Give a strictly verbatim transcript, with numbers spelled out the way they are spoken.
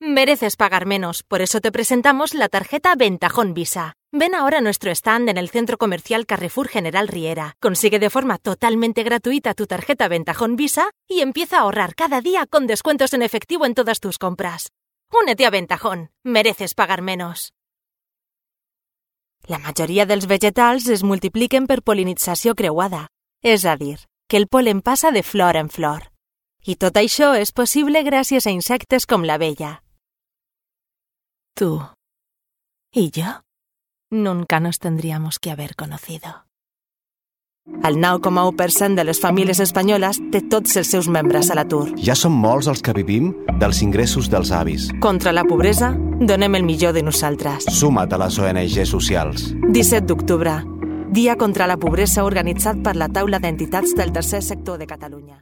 Mereces pagar menos, por eso te presentamos la tarjeta Ventajón Visa. Ven ahora a nuestro stand en el Centro Comercial Carrefour General Riera. Consigue de forma totalmente gratuita tu tarjeta Ventajón Visa y empieza a ahorrar cada día con descuentos en efectivo en todas tus compras. Únete a Ventajón. Mereces pagar menos. La majoria dels vegetals es multipliquen per pol·linització creuada, és a dir, que el pol·len passa de flor en flor. I tot això és possible gràcies a insectes com l'abella. Tú y yo nunca nos tendríamos que haber conocido. El nou coma u per cent de les famílies espanyoles té tots els seus membres a l'atur. Ja som molts els que vivim dels ingressos dels avis. Contra la pobresa, donem el millor de nosaltres. Suma't a les O N G socials. disset d'octubre, Dia contra la Pobresa organitzat per la Taula d'Entitats del Tercer Sector de Catalunya.